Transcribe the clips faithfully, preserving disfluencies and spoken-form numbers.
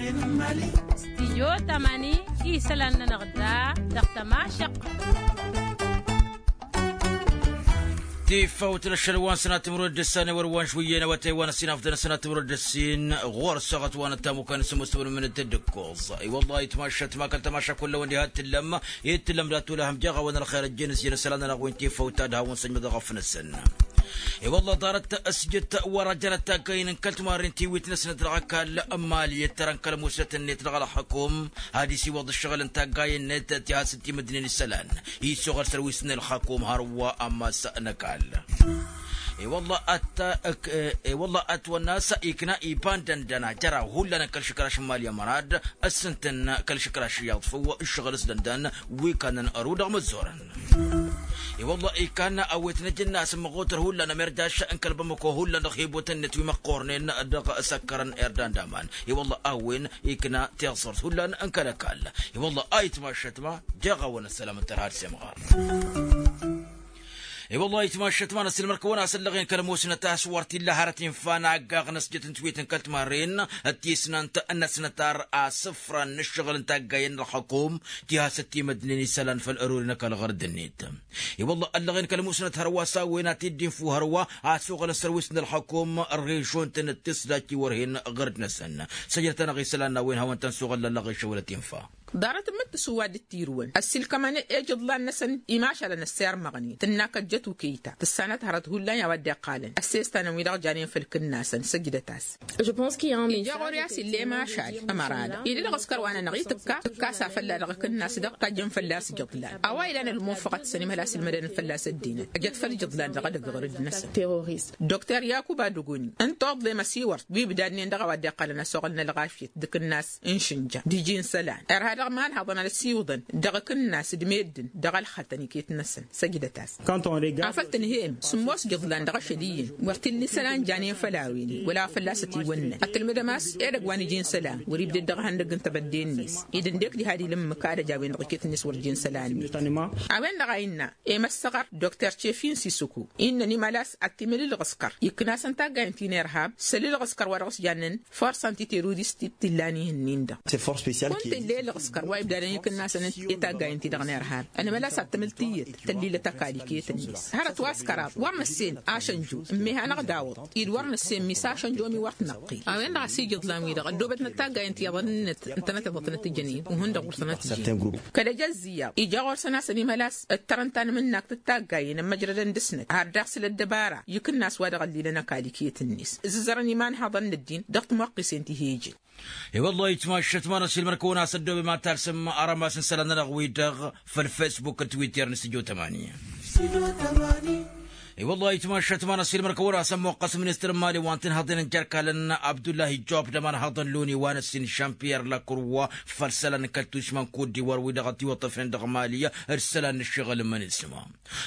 Stijyo tamani isălan-nănăɣ da dăɣ-tămašăq. Tifawt n-ašăl wa n-sănat timrăd d-ăssan i-wăr wa n-šwǝyyăn awătay wa n-ăssinafdăn ăssinat timrăd d-ăssin ɣur-săɣăt wa n-ăttamukăn s-ămoos timrăd mǝnǝd d-ǝkkoẓ. I-wăllah itmašat ma kăl-tămaša kull a-wen diha t-tǝllăm i-t-tǝllăm dat-olahăm jeɣ a-wen ălxer ăjjeen s-jăn isălan-nănăɣ wi n-tifawt ta d-hawăn-săjmădăɣ ăfnăsăn. I-wălla ḍarăt s-jăt wăr-ajănăt taggayen n-kăl-timarren tiwit-năsnăt dăɣ-ăkall. Mali ǝttărăn kăl-musnăt-net dăɣ-ălxăkum ad-isiwăḍ ǝššăɣǝl n-taggayen-net ti hasǝt timǝdnen isălan. Issoɣăl sărwis n-ălxăkum hărwa ămmas n-ăkall. I-wălla ăt-wănna a-s ikna iba n-dăndăna jăraw hullan n-kăl-išǝkraš n-mali ămărad. Ăssǝntăn kăl-išǝkraš iyyăḍ făw ǝššăɣǝl s-dăndăn wi kannăn ăru dăɣ-măzzorăn. I-wălla ikanna a-wen t-năj ǝnn'-as ǝmmăɣotăr hullan ămirdaš n-kăl-bamăko hullan dăɣ-hibotăn-net wi măqqornen dăɣ-săkkărăn irdan d-aman. I-wălla a-wen ikna tiẓẓurt hullan n-kăl-ăkall. I-wălla a itmašăt ma jeɣ-awăn ăssălam n-tărha d-semɣar. I-wălla a itmašăt ma n-ăssilmăr-kăwăn a-s ăllăɣen kăl-ămoosnăt a-s wăr t-illa hărăt infa n-aggaɣ n-ăsjăt n-tiwit n-kăl-timarren d-tisnant n-ăsnătar asǝfran n-ǝššăɣǝl n-taggayen n-ălxăkum ti hasăt timădnen isălan făll-ărori n-ăkall ɣărd-net. I-wălla ăllăɣen kăl-musnăt hărwa s-a-wen ad-t-dd-infu hărwa a-s oɣălăn sărwis n-ălxăkum ărɣešon-tăn d-tisdajt i-wăr hen ɣărd-năsăn. Săjdăt-anăɣ isălan n-a-wen hawăn-tăn-suɣǝl lăllăɣ išăwălăt infa. Ḍarăt ǝmmǝk tǝsǝwwa dd-tirǝwăn ăssiilkămăn i-jǝḍlan-năsăn imašalăn ăssirmăɣnen tǝnna kăjjăt ukeyta tǝssanăt hărăt hullan i-a-wa dd-iqqalăn ăssestan-wi-dăɣ janen făll-kǝnnasăn săjdăt-as. Ija ɣur-i a-s illa i-mašal ămărada ila ălɣǝskăr wa-nănăɣ itǝkka tǝkka a-s afălla dăɣ-akǝnnas-dăɣ tajjăn fălla-s ijǝḍlan a-wa ilan ălmunfăɣăt-săn imhăl a-s ǝlmădănăn fălla-s ăddinăt ăjăt făll-ijǝḍlan dăɣ-edăgg ɣur-dd-năsăn. Dokter yakuba dăgoni ǝnta oḍlem ăsiwăr wi ǝbdadnen dăɣ-a-wa dd-iqqălăn ăsoɣăl n-ălɣafyăt d-akǝnnas n-išǝnja d-iji n-isălan irha dăɣ-imanhaḍăn ad-ăsiwǝḍăn dăɣ-akǝnnas d-meddǝn dăɣ-ălxătăn iket-năsăn. Săjdăt-as. Afăl tǝnhăyăm sǝmmos ijǝḍlan dăɣ-ašăl iyyăn wăr t-illa isălan janen făll-a-wen-i wăla fălla-s ătiwănnăn ătwălmădăm a-s edăgg wa n-iji n-isălan wăr-ibdăd dăɣ-ehăndăgg n-tebădde-net ed ǝndek diha ad-ilǝmmǝk ad-ăj a-wen-dăɣ iket-net wăr iji n-isălan-net. A-wen-dăɣ a innă emăssăɣăr dokter cefin sisuku innăn imălas ad-t-imǝl ǝlɣǝskăr ikna-săn taggayen ti n-irhab s-ălǝlɣǝskăr wa dăɣ-s jannen forsa n-titerurist t-illa n-ihǝnnin-dăɣ. Kunta illa i-ǝlɣǝskăr wa ibdadăn ikǝnnasăn i-taggayen-ti-dăɣ n-irhab ănmălas ad-tǝmǝl tiyyăt tăllilăt ăkall iket-net hărăt wa s-kăraḍ wăr nǝssen ašănju ǝmmiha-năɣ d-awǝḍ-dd wăr nǝssen mi s-ašănju omi wăr t-năqqil a-wen-dăɣ a-s ijǝḍlan-wi-dăɣ ăddoobătnăt taggayen ti iyyăḍ ănnănăt ǝntănăt iḍătnăt ǝjănen uhǝn-dăɣ wăr tănăt-ǝjănen. Kăl-ejăzzǝyăɣ ija ɣur-săn a-s ănimălas ǝttărăn tanmǝnnakt d-taggayen ămmăjrădăn dăr-snăt har daɣ s-lăddăbara ikǝnnas wa dăɣ-ăllilăn ăkall iket-net ǝzzǝzărăn imanhăḍăn n-ăddin dăɣ-timwăqqisen ti hi-ijǝn. I-wăllah itmašăt ma n-ăsilmăr-kăwăn a-s ăddoobem ad-talsăm arămas n-isălan-nănăɣ-wi-dăɣ făll-fesbuk d-twitter n-stujo tămani. I-wăllah itmašăt ma n-ăsilmăr kăwăn-as ămmuqqăs ministăr n-mali wa n-tinhăḍen n-jerkalăn abdullahi job d-ămanhăḍăn loni wa n-ăssin žan-piyer lakruwa făll-isălan n-kăl-tušma n-kuddiwar wi-dăɣ ătiwăṭṭăfnen dăɣ-mali d-isălan n-ǝššăɣǝl n-imănisma.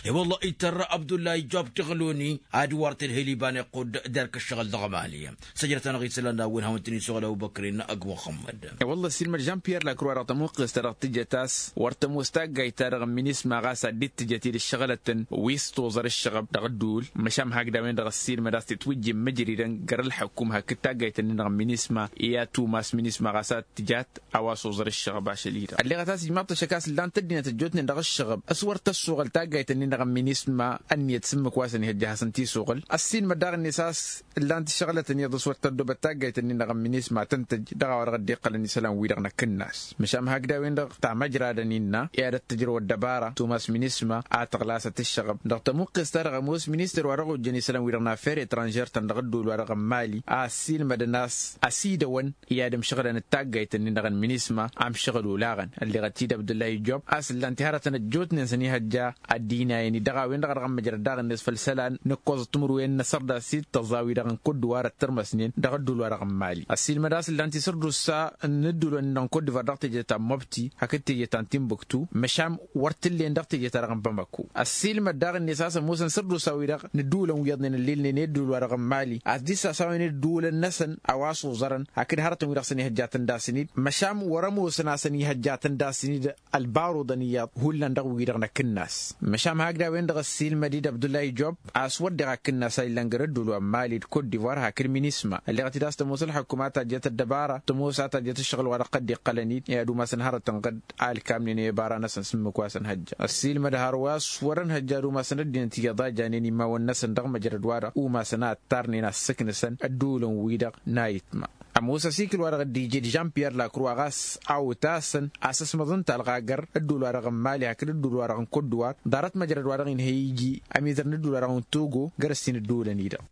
I-wăllah itărra abdullahi job dăɣ-loni ad-wăr tǝdhǝl iba n-iqqud d-erk ǝššăɣǝl dăɣ-mali. Săjdăt-anăɣ isălan n-a-wen hawăn-tăn-isuɣǝl ăbubăkrin ăgg muxămmăd. I-wălla ăssiilmăd žan-piyer lakruwa dăɣ-tămuqqǝst-ta-dăɣ tǝjăt a-s wăr tămoos taggayt-ta-dăɣ n-minisma ɣas ad-dd-tǝjăt-dd ǝššăɣǝlătăn wi s-toẓăr ǝššăɣăb dăɣ-ădduul. Măšan hakd a-wen-dăɣ ăssiilmăd a-s tǝtwǝjjǝn mǝjridăn găr-ǝlḥăkkum hakd taggayt-ǝnnin-dăɣ n-minisma i-ad-tumas minisma ɣas ad-tǝjat a-wa s-oẓăr ǝššăɣăb ašăl-i-dăɣ ălleɣăt a-s ijmaḍ-t ăššăk a-s ǝllan-t ăddinăt ăjjootnen dăɣ-ǝššăɣăb s-wăr tăssuɣăl taggayt-ǝnnin-dăɣ n-minisma. Ǝnniyăt s-ǝmmǝk wa s-ănihăjja ad-hasăn-tisuɣǝl ăssiilmăd daɣ-net a-s ǝllan-t ǝššăɣǝlătăn iyyăḍ s-wăr tăddoobăt taggayt-ǝnnin-dăɣ n-minisma tăn-tăjj dăɣ-a-wa dăɣ-dd-iqqălăn isălan-wi-dăɣ n-akǝnnas. Măšan hakd a-wen-dăɣ tamăjradăn innă i-ad-ăttăjrăw ăddăbara tumas minisma ad-tăɣlasăt ǝššăɣăb dăɣ-tămuqqest-ta-dăɣ ămoos ministăr wa dăɣ-ojjăn isălan-wi-dăɣ n-affer etranžer-tăn dăɣ-ădduul-wa-dăɣ n-mali a ăssiilmădăn a-s ăsidăwăn i-ad-ǝmšăɣǝlăn d-taggayt-ǝnnin-dăɣ n-minisma. Amšăɣǝl olaɣăn ălleɣăt-dd abdullahi job a-s ǝllan-t iharătăn ăjjootnen s-ănihăjja ad-dd-inayăn-i dăɣ-a-wen-dăɣ a dăɣ-ămmăjrăd daɣ-net făll-isălan n-ǝkkoẓăt timǝrwen n-asărdas i-d tăẓẓa wi-dăɣ n-kudd wa dăɣ-tărmăsnen dăɣ-ădduul-wa-dăɣ n-mali. Ăssiilmăd a-s ǝllan-t isǝrdus s-a n-ǝddulăn-in-dăɣ n-kudd var dăɣ-teje ta n-mobti hakd teje ta n-timbuktu măšan wăr t-ǝllen dăɣ-teje ta dăɣ-n bamako. Ăssiilmăd daɣ-net a-s ămoosăn sărdus. s-a-wi-dăɣ n-ǝddǝwǝlăn wi iyyăḍnen ǝllilnen i-ǝddǝwǝl-wa-dăɣ n-mali a-s dd-sasawen ǝddǝwǝlăn-năsăn a-wa s-oẓărăn hakd hărătăn-wi-dăɣ s-ănihăjjatăn d-asǝn-dd măšan wăr-ămoosăn a-s ănihăjjatăn d-asǝn-dd ălbaruḍăn iyyăḍ hullan dăɣ-wi-dăɣ n-akǝnnas. Măšan hakd a-wen-dăɣ ăssiilmăd-dd abdullahi job a-s wăr deɣ akǝnnas a illăn găr ǝddǝwǝl wa n-mali d-kot divoir hakd minisma ălleɣăt-dd a-s tămoos ălḥăkkum a tajjăt ăddăbara tămoos a tajjăt ǝššăɣǝl-wa-dăɣ kădd-iqqălăn-dd i-ad-umasăn hărătăn ɣǝd alkamnen i-ăbara-năsăn s-ǝmmǝk wa s-ănhăjja. Ăssiilmăd hărwa a-s wăr-ănhăjja ad-umasăn ăddinăt iyyăḍ a janen imawăn-năsăn dăɣ-măjrăd-wa-dăɣ umasăn a ǝttarnen a ǝssǝknǝsăn ăddǝwǝlăn-wi-dăɣ n-ayǝtma. Ămoos asikǝl-wa-dăɣ dd-ije d-žan piyer lakruwa ɣas a otasăn asăsmăḍ n-talɣa găr ăddǝwǝl-wa-dăɣ n-mali hakd ăddǝwǝl-wa-dăɣ n-kot divoir ḍarăt măjrăd-wa-dăɣ inhăy iji ămizăr n-ăddǝwǝl-wa-dăɣ n-togo găr-ăssin ăddǝwǝlăn-i-dăɣ.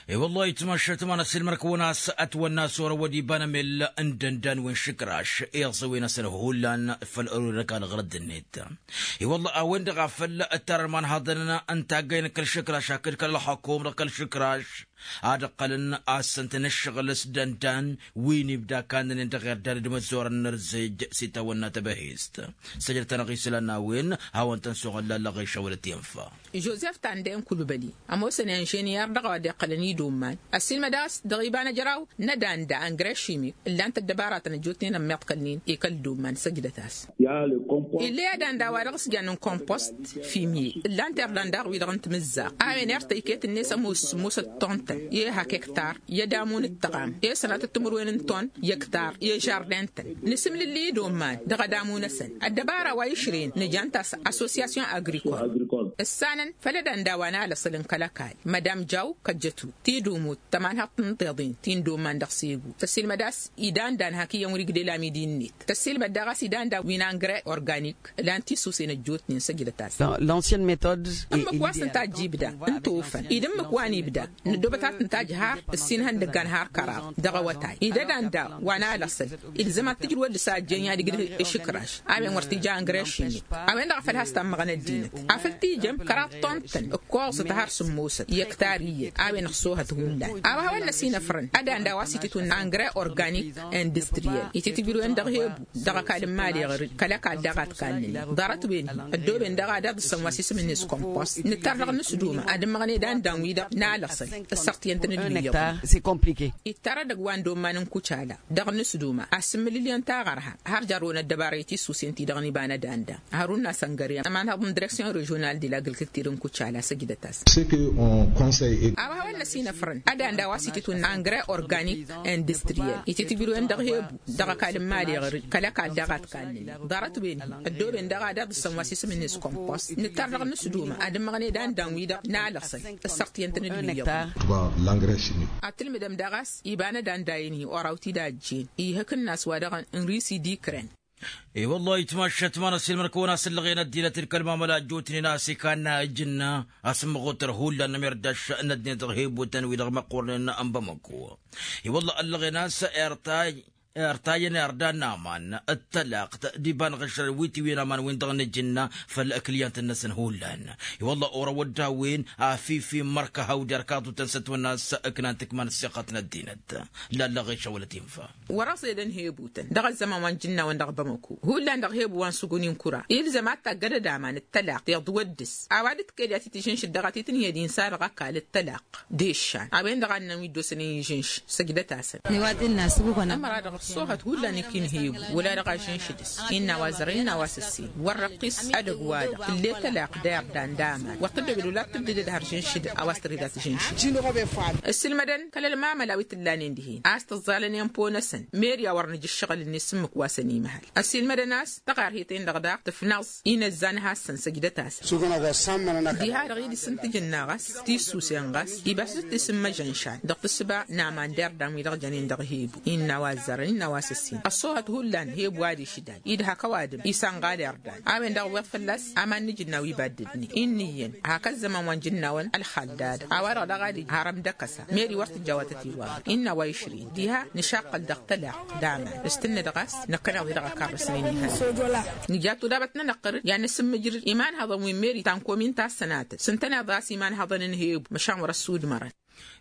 E-wăllah itmašat ma n-ăssiilmăr-kăwăn a-s ătwănna a-s orăwăd iba n-emell n-dăndan wi n-išǝkraš iẓǝwen-asăn hullan făll-ărurăk alɣărăd-net. I-wălla a-wen-dăɣ a făl ǝttarăn imanhăḍăn n-taggăyăn kăl-išǝkraš hakd kăl-ălxăkum dăɣ-kăl-išǝkraš ad-ǝqqălăn a ǝssǝntăn ǝššăɣǝl s-dăndan wi n-ibda kannănen dăɣ-irdan d-imăzzorăn n-ărzǝj s-itawănna tebăhest. Săjdăt-anăɣ isălan n-a-wen hawăn-tăn-suɣǝlla ăllăɣeš a wălăt infa. Žozef tandăyăn kulbăli ămoosăn inžiniyăr dăɣ-a-wa dd-iqqălăn idomman ăssiilmăd a-s dăɣ-iba n-ejăraw n-adanda ăngre šimik ǝllan-t ăddăbaratăn ăjjootnen ămmiḍkălnen i-kăl-idomman săjdăt-as. Ill'-e adanda wa dăɣ-s jannen kompost fimye ǝllan-t irdan daɣ wi-dăɣ n-timǝzzaɣt a-wen irtăy iket-net ămoos sǝmmosăt tontan i-hak ektar i-ădamu n-ǝttăɣam i-sănatăt timǝrwen n-ton i-ektar i-žarden-tăn. Nǝsǝmlǝlli idomman dăɣ-ădamu-năsăn ăddăbara wa išrǝyăn nǝjan-t a-s assosyasyon agrikol ǝssanăn făll-ădanda wa n-alăṣăl n-kăl-ăkall mădam jaw kăjjătu tidumut tămanhăḍt n-tiḍin ti n-domman dăɣ-segu tăssiilmăd a-s idandan hak iyyăn wăr-igdel amidi-net tăssiilmăd daɣ a-s idandan wi n-angre organik. Lan tisusen ăjjootnen săjdăt-as. Ǝmmǝk wa s-tǝnta ăjjibda n-tofăn id ǝmmǝk wa n-ibda nǝddobăt ad-tǝnta ăjhar ǝssin ihăndăggan har kăraḍ dăɣ-awătay id-ădanda wa n-alăṣăl. Ilzăm ad-t-tǝjrǝwăl dăɣ-s a ăjjeen i-ad-igdăh išǝkraš a-wen wăr t-ija angre šimik. A-wen-dăɣ a făl has-tammăɣăn ăddinăt afăl t-ijăm kăraḍ tontan ǝkkoẓăt har sǝmmosăt i-ăktar iyyăt a-wen ăṣṣoohăt hullan. A-wa hawăn-năsinăfrăn ădanda wa s-ititwǝnna angre organik industriyel ititǝjrǝwen dăɣ-hebu dăɣ-ăkall n-mali ɣăr-dd kăl-ăkall daɣ a t-kannănen ḍarăt-wen-hi ăddooben dăɣ-ad-iḍǝssăn wa s-isǝm-net kompost nǝttar dăɣ-nǝsduma ad-ǝmmăɣnen d-andan-wi-dăɣ n-alăṣăl ǝssărtǝyăn-tăn-dd n-iyyăḍ. Ittar edăgg wa n-domman n-kucala dăɣ-nǝsduma a sǝmmǝlǝlǝyăn taɣărha har jarrăwăn ăddăbara i-tisusen ti-dăɣ n-iba n-ădanda. Hărun n-asăngăre ămanhăḍ n-direksyon režional de la gǝlkǝktir n-kucala săjdăt-as. A-wa hawăn-năsinăfrăn ădanda wa s-ititwǝnna angre organik industriyel ititǝjrǝwen dăɣ-hebu dăɣ-ăkall n-mali ɣăr-dd kăl-ăkall daɣ a t-kannănen ḍarăt-wen-hi ăddooben dăɣ-ad-iḍǝssăn wa s-isǝm-net kompost nǝttar dăɣ-nǝsduma ad-ǝmmăɣnen d-andan wi-dăɣ n-alăṣăl ǝssărtǝyăn-tăn-dd n-iyyăḍ. Ad-tǝlmǝdăm daɣ a-s iba n-ădanda-en-hi oraw-t-dd a ăjjeen ihǝkǝnnas wa dăɣ-n risi d-ikren. I-wăllah itmašat ma n-ăssiilmăr-kăwăn a-s ǝllăɣen ăddinăt d-kăl-mamăla ăjjootnen a-s ikannă ijǝnna a-s ǝmmăɣ otăr hullan n-amirdaš n-ăddinăt dăɣ-hebutăn wi-dăɣ măqqornen n-bamăko. I-wăllah ăllăɣen a-s irtay irtayăn irdan n-aman d-tălaqt d-iba n-iɣǝšrăn wi tiwǝyăn aman-win-dăɣ n-ijǝnna făll-ăkliyyant-năsăn hullan. I-wăllah orăwăd d-a-wen afifi n-imărka hawd-irkaḍutăn s-ătwănna a-s ǝknan tǝkma n-ăssiɣăt n-ăddinăt. Lallăɣ išăwălăt infa. Wăr-ăẓedăn hebutăn dăɣ-ăzzăman wa n-ijǝnna-wăn dăɣ-bamăko hullan dăɣ-hebu wa n-sǝguni n-kura ilzăm ad-taggădăd aman d-tălaqt iḍwăddǝs a-wa dd-kăyăd i-ad-t-tǝžǝnšǝd dăɣ-a t-tǝnhǝyăd insa dăɣ-ăkall d-tălaqt d-eššan a-wen-dăɣ a ǝnnăn wi dd-osănen ižǝnš. Săjdăt-asăn. Ămăra-dăɣ ăṣṣoohăt hullan ikinhebu wăla dăɣ-ažǝnš dăɣ-s innă a-wa zărăn innă a-wa s-ǝssin wăr-răqqis edăgg-wa-dăɣ tǝll'-e tălaqt d-irdan d-aman wăr tǝddobed wăla t-tǝddǝdăd har žǝnš d-a-wa s-tăr-dd a tǝžǝnš. Ǝssǝlmădăn kăl-ălmamăla wi t-ǝllanen dihen a-s tǝẓẓalăn i-ănpo-năsăn meri a wăr nǝja ǝššăɣǝl-net s-ǝmmǝk wa săn imhăl ăssiilmădăn a-s tăɣarhet-en-dăɣ daɣ tǝfnăẓ inăzzan hassăn săjdăt-asăn. Diha-dăɣ idǝs n-tǝjǝnna ɣas tisusen ɣas ibas d-tisǝmmăžănšan dăɣ-tǝssǝba n-aman d-irdan wi-dăɣ jănen dăɣ-hebu innă a-wa ăzzarăn innă a-wa s-ǝssin ăṣṣoohăt hullan hebu ad-išdaj idhak ăwadǝm isănɣal irdan a-wen-dăɣ ǝwweḍ fălla-s aman n-ijǝnna wi baddǝdnen inn' iyyăn hak ăzzăman wa n-ijǝnnawăn ălxal d-ad-dăɣ a-wa-dăɣ daɣ ad-ija har ămdăkăsa meri wăr tǝjja a-wa tăt-dd-wăr innă a-wa išrin diha nǝšaqqăl dăɣ-tălaqt d-aman s-tǝnnǝdăɣ a-s năkkăneḍ-i dăɣ-ăkarrăsnen ihănan. Nǝja tudabăt-nănăɣ ɣăr-dd i-ad-nǝsǝmmǝjrǝd imanhăḍăn wi n-meri ta n-komin ta s-sănatăt s-ǝntăneḍ a-s imanhăḍăn n-hebu măšan wăr-ăssudmărăn.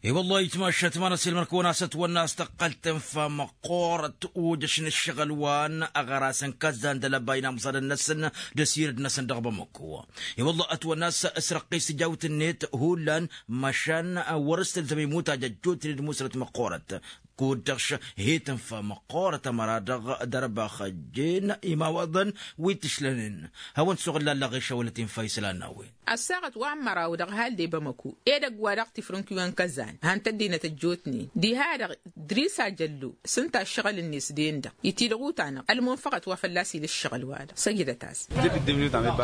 I-wăllah itmašat ma n-asilmăn kăwăn-asăt wănna a-s tăqqăl tǝnfa măqqoorăt ujăš n-ǝššăɣǝl wa n-aɣăras n-kăzzan d-alăbay n-amẓadăn-năsăn d-asirǝd-năsăn dăɣ-bamăko. I-wăllah ătwănna a-s ǝsrăqqis tijawt-net hullan măšan wăr-s tǝlzăm imutaj ăjjootnen d-musrăt măqqoorăt. Kud-dăɣ-š hi-tǝnfa măqqoorăt ămăra-dăɣ d-ărbaxăjjen imawaḍăn wi t-ǝšlănen. Hawăn-t suɣǝllan laɣiša wăla tinfa isălan n-a-wen. Ăssaɣăt wa n-măraw dăɣ-hal d-ebămăku edăgg-wa-dăɣ tifrǝnkiwen kăzan han tăddinăt ăjjootnen diha-dăɣ. Drisa jăllu s-ǝnta ǝššăɣǝl-net den-dăɣ itidăɣ utanăɣ ălmunfăɣăt wa fălla-s ila ǝššăɣǝl-wa-dăɣ săjdăt-as.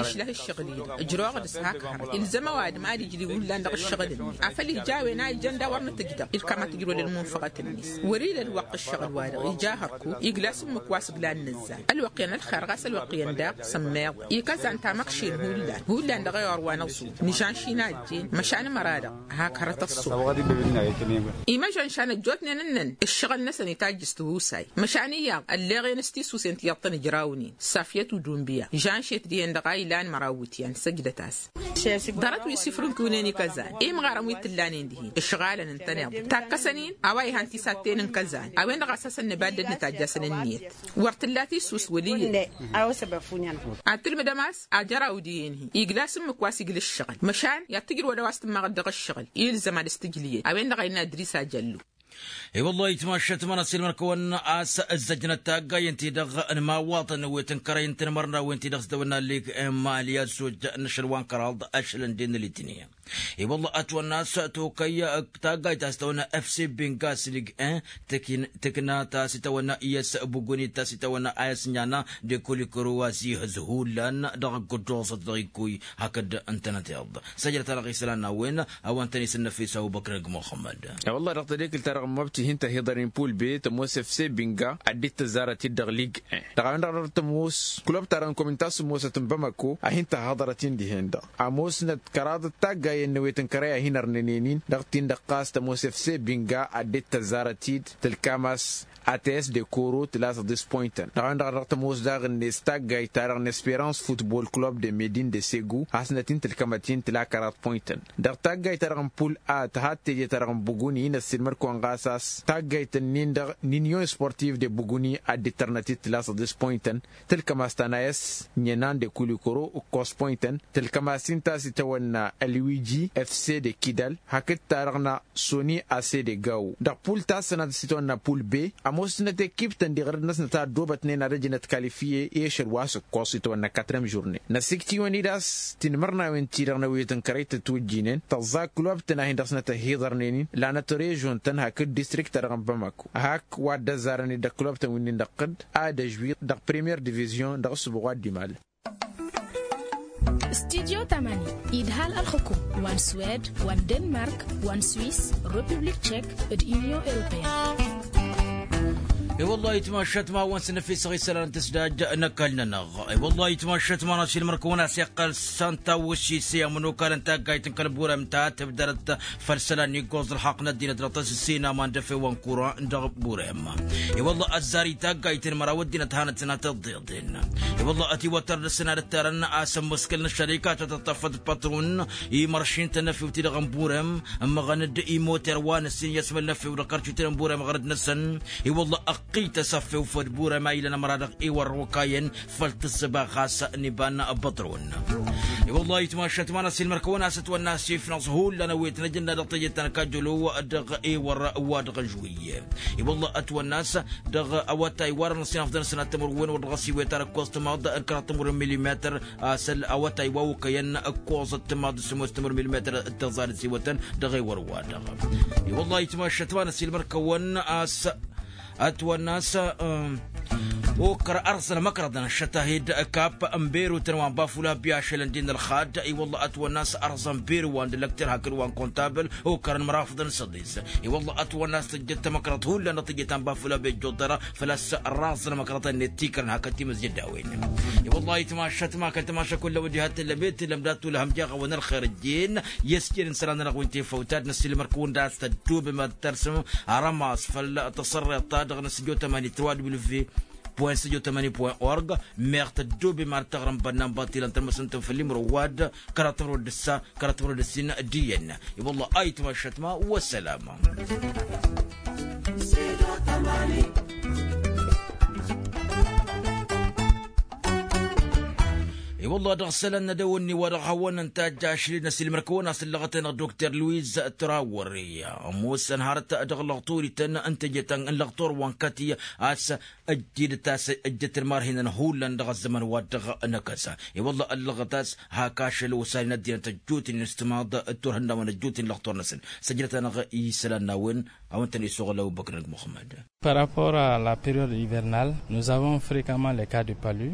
Išlah ǝššăɣǝl-i-dăɣ ǝjroɣ-dd s-hak hărăt ilzăm ăwadǝm ad-ijli hullan dăɣ-ǝššăɣǝl-net afăl ija a-wen a ijăn d-a-wăr nǝtǝj dăɣ-ilkam ad-tǝjrăwăl ălmunfăɣăt-net wăr-ila ălwăqq ǝššăɣǝl-wa-dăɣ ija hărku igla s-ǝmmǝk wa s-ǝglan nǝzzan ălwăqq iyyăn ălxer ɣas ălwăqq iyyăn daɣ sămmeḍ. Ikăzan tamăkšin hullan hullan dăɣ-ewăr wa n-ăẓu nǝžan šinajjen măšan ămăra-dăɣ hak hărăt ăṣṣu. Imăžăn šan ăjjootnen ǝnnăn ǝššăɣǝl-năsăn itajj s-tihusay măšan iyyăḍ ălleɣen s-tisusen tiyyăḍ tăn-ǝjrawnen safyăt udumbiya žan šet dihen-dăɣ a ilan măraw wǝtyan săjdăt-as. Ḍarăt wi s-ifrǝnkiwnen ikăzan imɣarăn wi t-ǝllanen dihen ǝšɣalăn ǝntăneḍ takkăsăn-in a-wa ihan tisatten n-kăzan a-wen-dăɣ a-s hasăn-nǝbaddăd nǝtajj'-asăn ǝnniyăt. Wăr t-ǝlla tisus wăl' iyyăt. Ad-tǝlmǝdăm a-s ajăraw dihen-hi igla s-ǝmmǝk wa s-igla ǝššăɣǝl măšan i-ad-tǝjrǝwăd a-wa s-tǝmmaɣăt dăɣ-ǝššăɣǝl ilzăm ad-s-tǝjlǝyăt a-wen-dăɣ a innă adris ajăllu. I-wăllah itmašat ma n-asilmăn kăwăn-as ǝzzăjnăt taggayen-ti-dăɣ n-imawaḍăn wi tǝnkărăyăn tinmărnawen-ti-dăɣ s-dăwănna lig n-mali ăzzoj n-ašăl wa n-kăraḍ ašăl n-den n-litniya. I-wăllah ătwănna a-s tokăy taggayt ta s-tăwănna fc binga s-lig n-tǝkna ta s-itawănna iyăs buguni ta s-itawănna ayăs n-iana d-ekulikuru wa s-ihǝz hullan dăɣ-ăgg-ăddoẓăt dăɣ-ikkuy hakd ǝntănăt iḍ. Săjdăt-anăɣ isălan n-a-wen a-wa ǝntănis n-năfis abubăkr ăgg muxămmăd. I-wăllah dăɣ-tadekǝlt-ta-dăɣ n-măbti hin-tăhiḍăr-in pul be tămoos fc binga ad-dd-tăzzarăt-dd dăɣ-lig. Dăɣ-a-wen-dăɣ dăɣ-tămoos kulăb-ta-dăɣ n-komin ta s-ămoosăt n-bamako a hin-tăhaḍărăt-in dihen-dăɣ ămoosnăt kăraḍăt taggayen n-ewet n-kărăy a hin-ărnănen-in dăɣ-tin-dăɣ ɣas tămoos fc binga ad-dd-tăzzarăt-dd tǝlkam a-s ats d-ekoro tǝla săḍis poyntăn dăɣ-a-wen-dăɣ dăɣ-tămoos daɣ-net taggayt-ta-dăɣ n-esperans futbol club de medin de segu hasnăt-in tǝlkămăt-in tǝla kăraḍ poyntăn. Dăɣ-taggayt-ta-dăɣ n-pul a tăhat teje-ta-dăɣ n-buguni inăssilmăd-kăwăn ɣas a-s taggayt-nin-dăɣ n-inyon sportiv de buguni ad-dd-tărnăt-dd tǝla săḍis poyntăn tǝlkăm a-s tanayăs n-enan de kulikoro ǝkkos poyntăn tǝlkăm a-s inta a-s itawănna ălwiji fc de kidal hakd-ta-dăɣ n-soni a-s edegăw. Dăɣ-pul ta s-sănăt s-itwănna pul be ămoosnăt ekip-tăn diɣrăd-năsnăt a ăddoobătnen ad-ăjnăt kalifiye i-ašăl wa s-ǝkkoẓ itwănna katrem žurne năsiktiwăn-dd a-s tinmărnawen-ti-dăɣ n-ewet n-kărăy tătwǝjjinen tăẓẓa kulobtăn a hin-dăɣ-snăt ăhhiḍărnen-in lanăt režon-tăn hakd distrikt-ta-dăɣ n-bamako hak wa dd-ăzzarăn-dd d-ăkklobtăn wi n-indăqqǝd ad-ăžwi dăɣ-premiyer divizyon dăɣ-ǝssǝbuɣ wa dd-imal. Studyo tamani idhal ălxukum wa n-swed wa n-denmark wa n-swiss, republik tchek d-inyon europeyăn. I-wăllah itmašat ma wăn s-năfisăɣ isălan n-tǝsdaj n-ăkall-nănăɣ. I-wăllah itmašat ma n-asilmăr-kăwăn a-s iqqăl santa wăšise amănokal n-taggayt n-kăl-burem ta tǝbdărăt făll-isălan n-iggoẓ ălxaqq n-ăddinăt dăɣ-tăsǝssin aman d-efew wa n-kura dăɣ-burem. I-wăllah ăzzar i-taggayt n-măraw ăddinăt hanăt-sănatăt ḍeḍen. I-wălla ătiwăttăr dăr-săn ad-ǝttarăn asămmăskăl n-ăššărikat ad-tăṭṭăfăt pătrun imăršin-tăn n-efew-ti-dăɣ n-burem ǝmmăɣăn-dd imoter wa n-ǝssin i-asmăl n-efew dăɣ-kărcut n-burem ɣărăd-năsăn. I-wălla ăqqităs afew făll-burem a ilăn ămăra-dăɣ iwărrăw ăkayăn făll-tǝssǝba ɣas n-iba n-pătrun. I-wălla itmašat ma n-asilmăr-kăwăn a-s ătwănna asifnăẓ hullan ăwwet n-ajǝnna dăɣ-teje ta n-kajălo dăɣ-ewăr wa dăɣ-ăžwǝy. I-wălla ătwănna a-s dăɣ-awătay wa dăɣ-năssinăfḍăn sănat tămăr-wen wăr dăɣ-s iwet ar ǝkkoẓ tǝmaḍ n-kăraḍ tămăr n-milimetăr. A-s awătay wa okăyăn ǝkkoẓăt tǝmaḍ d-sămoos tămăr n-milimetăr d-tăẓar d-siwătăn dăɣ-ewăr wa-dăɣ. I-wălla itmašat ma n-asilmăr-kăwăn a-s ătwănna a-s okăr ărẓăn ămăkrăḍăn šătahid kap n-berutăn wa n-bafula bi ašălăn din ălxad. I-wălla ătwănna a-s ărẓăn beru wa n-dălăkter hakd wa n-kontabăl okărăn mărafăḍăn s-ăḍis. I-wălla ătwănna a-s tǝjjăt tămăkrăḍt hullan dăɣ-tǝjjăt ta n-bafula bi ăjjoḍăra făl-a-s ărraẓăn ămăkrăḍăn-net tikărăn hakd timǝzjădawen. I-wălla itmašat ma kăl-tămaša kull ăwăjjăhat tǝllăm i-tǝllăm dat-tulhăm jaɣ-awăn ălxer ǝjjen i-ăsjănen isălan-nănăɣ wi n-tefăwt ad-năssilmăr-kăwăn d-a-s tăddubem ad-tărsǝm arămas făll-tăṣărreḍt-ta-dăɣ n-asǝjjo tămani tăwadǝwǝl-ve. Point săjo tămani point org. Meɣ tăddoobem ar tăɣrămbănna n-batilăn tălmăsăn-tăn făll-imrăw wa-dd kăraḍ tămrăw d-ǝssa kăraḍ tămrăw d-ǝssin d-iyyăn. I-wălla ayǝtmašăt ma wăssălam. I-wălla dăɣ-isălan n-ad-ăwănni wa dăɣ-hawăn-ǝnta ajjašled n-asilmăr-kăwăn a-s ǝllăɣăt-en dăɣ-dokter luiz trawăre ămoosăn hărăt dăɣ-lăɣturiten n-teje ta n-lăɣtur wa n-kati a-s ăjjed ta s-ăjjăt ălmarhinăn hullan dăɣ-ăzzăman wa dăɣ-năkăsa. I-wălla ăllăɣăt a-s hak ašăl osanen ăddinăt ăjjootnen s-timaḍ d-turhǝnnawen ăjjootnen lăɣtor-năsăn. Săjdăt-anăɣ isălan n-a-wen a-wen tăn-isuɣǝl ăbubăkr năg muxămmăd. Par rapport à la période hivernale, nous avons fréquemment les cas de palu.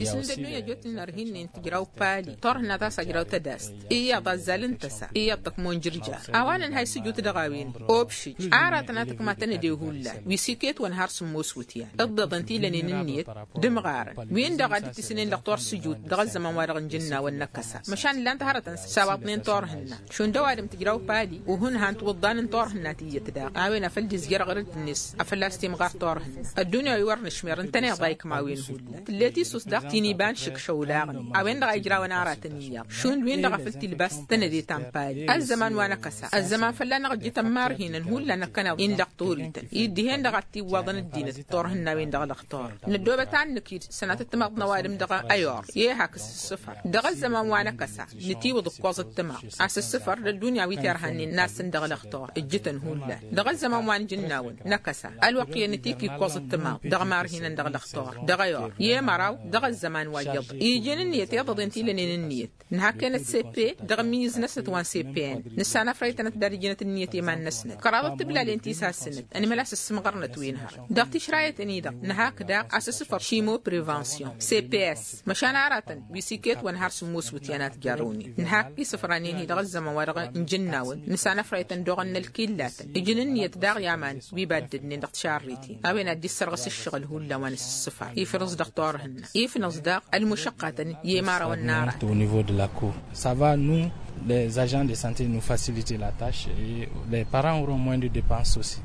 Isǝndăddunya ăjjootnen ărhinnin tǝjraw pali turhǝnna ta s-ajraw tădast iyyăḍ azzal n-tăsa iyyăḍ tăkmo n-jǝrjar. A-wa nǝnhăy s-ǝjut dăɣ-a-wen obšǝj aratăn a tǝkmatăn ed ehullan wi s-iket wăn har sǝmmos wǝtyan. Ǝḍḍeḍăn ti lănen ǝnniyăt d-imɣarăn wi-dăɣ a dd-tisǝnen lăɣtor s-ǝjut dăɣ-ăzzăman-wa-dăɣ n-ijǝnnawăn n-ăkkăsa. Măšan ǝllan-t hărătăn s-a-wa ǝḍnen turhǝnna šund ăwadǝm tǝjraw pali. Uhǝnhăn tiwǝḍḍan n-turhǝnna tiyyăt daɣ a-wen a făl dd-izjăr aɣrǝd-net a făl-a-s timɣar turhǝnna. Ăddunya wi wăr nǝšmer ǝntăneḍ a ikmawin hullan tǝllet isus daɣ ti n-iba n-išǝkšăw daɣ. A-wen-dăɣ a ijrawăn aratăn iyyăḍ šund wi-dăɣ a făl tilbas tănăde ta n-pali ăzzăman wa n-ăkăsa ăzzăman fălla-năɣ ǝjjǝtăn marhinăn hullan ăkkăneḍ-in lăɣ turiten. Iddihen-dăɣ ad-t-iwwaḍăn ăddinăt turhǝnnawen dăɣ-lăɣtor. Năddoobăt ad-nǝkid sănatăt timaḍt n-ăwadǝm dăɣ-ayor i-ehak s-ǝssǝfăr dăɣ-ăzzăman wa n-ăkăsa. Nǝtiwǝḍ ǝkkoẓăt timaḍt a-s ǝssǝfăr d-ăddunya wi terhănnen n-assăn dăɣ-lăɣtor ǝjjǝtăn hullan. Dăɣ-ăzzăman wa n-ijǝnnawăn n-ăkăsa ălwăqq iyyăn nǝtikk ikkoẓăt timaḍt dăɣ-marhinăn dăɣ-lăɣtor dăɣ-ayor i-măraw dăɣ-ăzzăman wa iyyăḍ. Ijăn ǝnniyăt iḍăḍen ti lănen ǝnniyăt. Nǝhak-enăt seppe dăɣ-ămmiyyǝz-năsnăt wa n-seppe-en nǝssanăfrăytănăt d-ad-ǝjǝnăt ǝnniyăt i-iman-năsnăt kăraḍăt tiblalent isassǝnăt ănmăl a-s ǝssǝmɣărnăt wi n-hărăt. Dăɣ-tišrayăten-i-dăɣ nǝhak daɣ a-s ǝssǝfăr šimo prevension cps măšan aratăn wi s-iket wăn har sǝmmos wǝtyan a t-jarrăwnen. Nǝhak isǝfranen-hi dăɣ-ăzzăman wa dăɣ-nǝjǝnnawăn nǝssanăfrăytăn d-oɣăn n-ălkillatăn ǝjǝn ǝnniyăt daɣ i-aman wi baddădnen dăɣ-tišarriten. A-wen ad-dd-issărɣǝs ǝššăɣǝl hullan wa n-asǝssǝfar ifrǝẓ dăɣ-turhǝnna ifnǝẓ daɣ ălmušăqqatăn i-imărawăn n-ara. Au niveau de la cour ça va nous les agents de santé nous faciliter la tache et les parents auront moins de depense aussi.